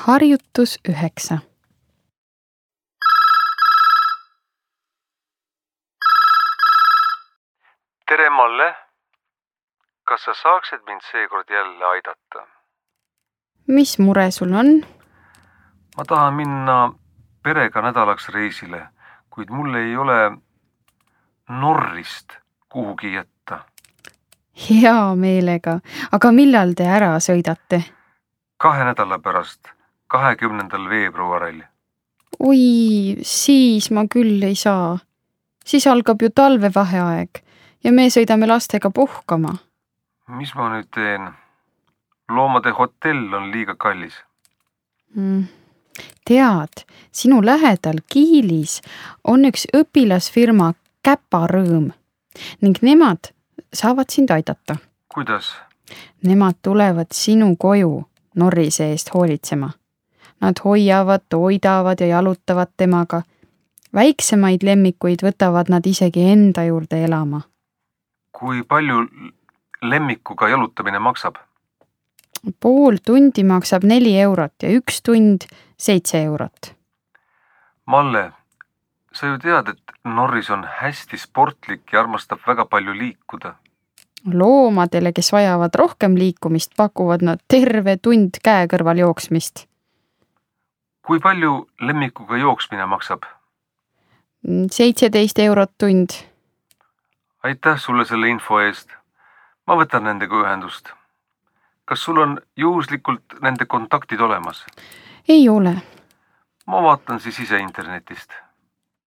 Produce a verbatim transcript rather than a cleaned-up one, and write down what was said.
Harjutus üheksa. Tere, Malle! Kas sa saaksid mind seekord jälle aidata? Mis mure sul on? Ma tahan minna perega nädalaks reisile, kuid mul ei ole Norrist kuhugi jätta. Hea meelega, aga millal te ära sõidate? Kahe nädala pärast, kahekümnendal veebruaril. Oi, siis ma küll ei saa. Siis algab ju talvevaheaeg ja me sõidame lastega puhkama. Mis ma nüüd teen? Loomade hotell on liiga kallis. Mm. Tead, sinu lähedal Kiilis on üks õpilasfirma Käparõõm ning nemad saavad sind aidata. Kuidas? Nemad tulevad sinu koju Norrise eest hoolitsema. Nad hoiavad, toidavad ja jalutavad temaga. Väiksemaid lemmikuid võtavad nad isegi enda juurde elama. Kui palju lemmikuga jalutamine maksab? Pool tundi maksab neli eurot ja üks tund seitse eurot. Malle, sa ju tead, et Norris on hästi sportlik ja armastab väga palju liikuda. Loomadele, kes vajavad rohkem liikumist, pakuvad nad terve tund käe kõrval jooksmist. Kui palju lemmikuga jooksmine maksab? seitseteist eurot tund. Aitäh sulle selle info eest. Ma võtan nendega ühendust. Kas sul on juhuslikult nende kontaktid olemas? Ei ole. Ma vaatan siis ise internetist.